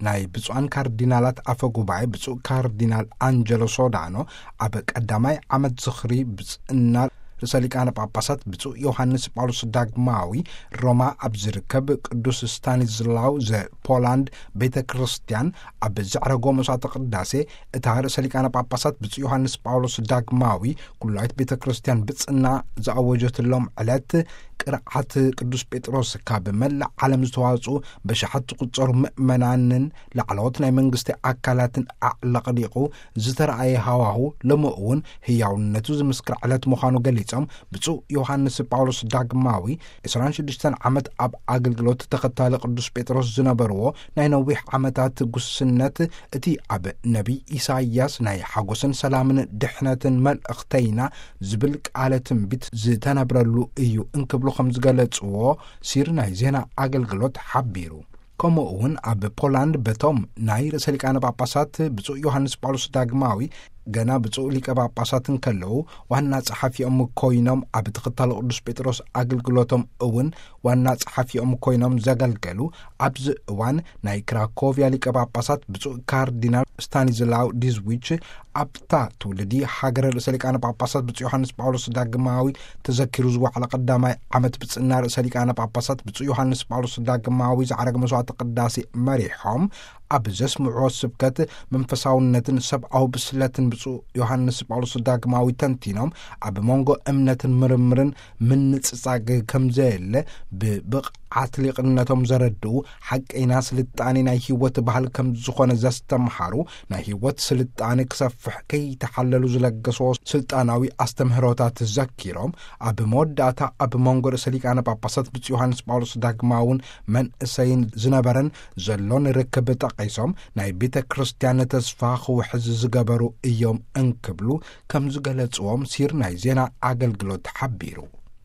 ናይ ብፁዓን ካርዲናላት ኣፈ ጉባኤ ብፁዕ ካርዲናል ኣንጀሎ ሶዳኖ፣ ኣብ ቀዳማይ ዓመት ዝኽሪ ብጽእና ርእሰ ሊቃነ ጳጳሳት ብፁዕ ዮሃንስ ጳውሎስ ዳግማዊ፣ ሮማ ኣብ ዝርከብ ቅዱስ ስታኒስላው ዘፖላንድ ቤተ ክርስቲያን ኣብ ዘዕረጎ መስዋዕተ ቅዳሴ፣ እታ ርእሰ ሊቃነ ጳጳሳት ብፁዕ ዮሃንስ ጳውሎስ ዳግማዊ፣ ኩላዊት ቤተ ክርስቲያን ብጽና ዝኣወጀትሎም ዕለት፣ ቅርዓት ቅዱስ ጴጥሮስ ካብ መላእ ዓለም ዝተዋጽኡ በሽሓት ዝቑጸሩ ምእመናንን ላዕለዎት ናይ መንግስቲ ኣካላትን ኣዕለቕሊቑ ዝተረኣየ ሃዋሁ፣ ሎሚ እውን ህያውነቱ ዝምስክር ዕለት ምዃኑ ገሊጾም፣ ብፁዕ ዮሃንስ ጳውሎስ ዳግማዊ፣ ዕስራን ሽዱሽተን ዓመት ኣብ ኣገልግሎት ተኸታሊ ቅዱስ ጴጥሮስ ዝነበርዎ ናይ ነዊሕ ዓመታት ጉስነት፣ እቲ ኣብ ነቢይ ኢሳይያስ ናይ ሓጎስን ሰላምን ድሕነትን መልእኽተይና ዝብል ቃለ ትንቢት ዝተነብረሉ እዩ እንክብሉ ከም ዝገለጽዎ ሲር ናይ ዜና ኣገልግሎት ሓቢሩ። ከምኡ እውን ኣብ ፖላንድ በቶም ናይ ርእሰ ሊቃነ ጳጳሳት ብፁዕ ዮሃንስ ጳውሎስ ዳግማዊ ገና ብፁዕ ሊቀ ጳጳሳት እንከለዉ ዋና ጸሓፊኦም ኮይኖም ኣብ ተኸታሊ ቅዱስ ጴጥሮስ ኣገልግሎቶም እውን ዋና ጸሓፊኦም ኮይኖም ዘገልገሉ፣ ኣብዚ እዋን ናይ ክራኮቪያ ሊቀ ጳጳሳት ብፁዕ ካርዲናል ስታኒዝላው ዲዝዊች ኣብታ ትውልዲ ሃገረ ርእሰ ሊቃነ ጳጳሳት ብፁዕ ዮሃንስ ጳውሎስ ዳግማዊ ተዘኪሩ ዝወዓለ ቀዳማይ ዓመት ብጽና ርእሰ ሊቃነ ጳጳሳት ብፁዕ ዮሃንስ ጳውሎስ ዳግማዊ ዝዓረገ መስዋዕተ ቅዳሴ መሪሖም ኣብ ዘስምዕዎ ስብከት፣ መንፈሳውነትን ሰብኣዊ ብስለትን ብፁዕ ዮሃንስ ጳውሎስ ዳግማዊ ተንቲኖም፣ ኣብ መንጎ እምነትን ምርምርን ምንጽጻግ ከም ዘየለ ብብቕዓት ሊቕነቶም ዘረድኡ፣ ሓቀይና ስልጣኔ ናይ ህይወት ባህል ከም ዝኾነ ዘስተምሃሩ፣ ናይ ህይወት ስልጣኔ ክሰፍሕ ከይተሓለሉ ዝለገስዎ ስልጣናዊ ኣስተምህሮታት ዘኪሮም፣ ኣብ መወዳእታ ኣብ መንጎ ርእሰ ሊቃነ ጳጳሳት ብፁዕ ዮሃንስ ጳውሎስ ዳግማውን መንእሰይን ዝነበረን ዘሎን ርክብ ጠቒሶም፣ ናይ ቤተ ክርስቲያን ተስፋ ክውሕዝ ዝገበሩ እዮም እንክብሉ ከም ዝገለጽዎም ሲር ናይ ዜና ኣገልግሎት ሓቢሩ።